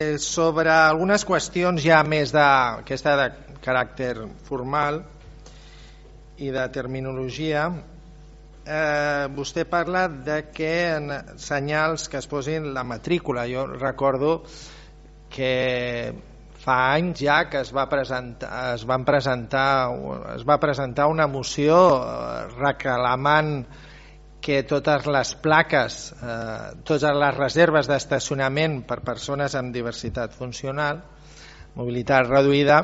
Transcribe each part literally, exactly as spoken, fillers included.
Sobre algunes qüestions ja més d'aquesta de caràcter formal i de terminologia, eh, vostè parla de que en senyals que es posin la matrícula. Jo recordo que fa anys ja que es va presentar, es van presentar, es va presentar una moció reclamant que totes les plaques, eh, totes les reserves d'estacionament per persones amb diversitat funcional, mobilitat reduïda,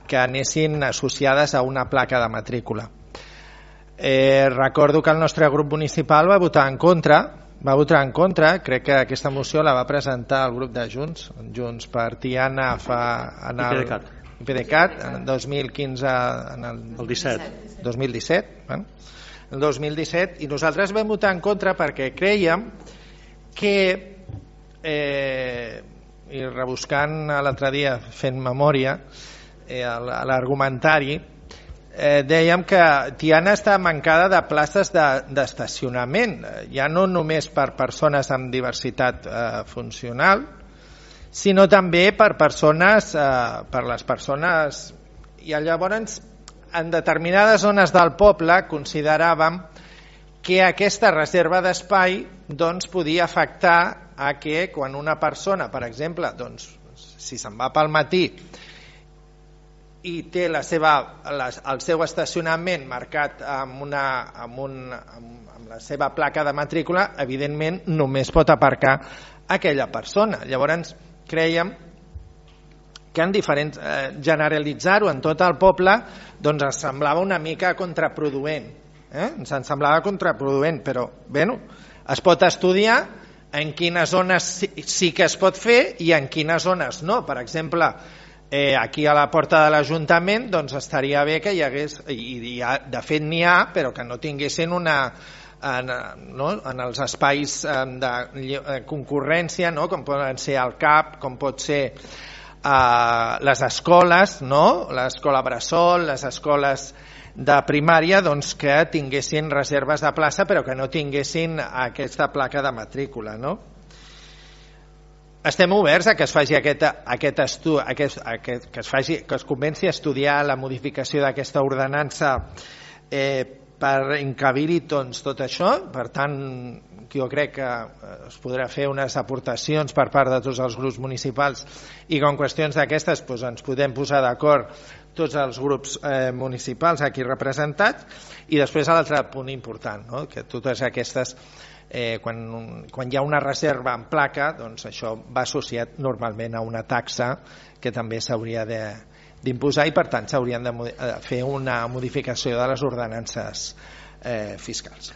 que anessin associades a una placa de matrícula. Eh, recordo que el nostre grup municipal va votar en contra, va votar en contra, crec que aquesta moció la va presentar el grup de Junts, Junts per Tiana fa en el IPDeCAT en el dos mil quinze, en el, el disset, dos mil disset, bueno, el dos mil disset, i nosaltres vam votar en contra perquè creiem que, eh, i rebuscant l'altre dia fent memòria, eh, l'argumentari, eh, dèiem que Tiana està mancada de places d'estacionament, de, ja no només per persones amb diversitat eh, funcional, sinó també per persones, eh, per les persones, i llavors en determinades zones del poble consideràvem que aquesta reserva d'espai doncs, podia afectar a que quan una persona, per exemple, doncs, si se'n va pel matí i té la seva, la, el seu estacionament marcat amb, una, amb, un, amb, amb la seva placa de matrícula, evidentment només pot aparcar aquella persona. Llavors creiem que en diferents, eh, generalitzar-ho en tot el poble doncs ens semblava una mica contraproduent, eh? ens semblava contraproduent, però bueno, es pot estudiar en quines zones sí, sí que es pot fer i en quines zones no. Per exemple, eh, aquí a la porta de l'Ajuntament doncs estaria bé que hi hagués, i, i ha, de fet n'hi ha, però que no tinguessin una en, no? en els espais de concurrència, no? Com poden ser el C A P, com pot ser Uh, les escoles, no? L'escola bressol, les escoles de primària, doncs que tinguessin reserves de plaça però que no tinguessin aquesta placa de matrícula, no? Estem oberts a que es faci aquest, aquest estudi, aquest, aquest, que es faci, que es comenci a estudiar la modificació d'aquesta ordenança eh, per encabir-hi doncs, tot això. Per tant, jo crec que es podrà fer unes aportacions per part de tots els grups municipals i que en qüestions d'aquestes doncs, ens podem posar d'acord tots els grups eh, municipals aquí representats. I després l'altre punt important, no? Que totes aquestes, eh, quan, quan hi ha una reserva en placa, doncs això va associat normalment a una taxa que també s'hauria de d'imposar i per tant s'haurien de fer una modificació de les ordenances eh, fiscals.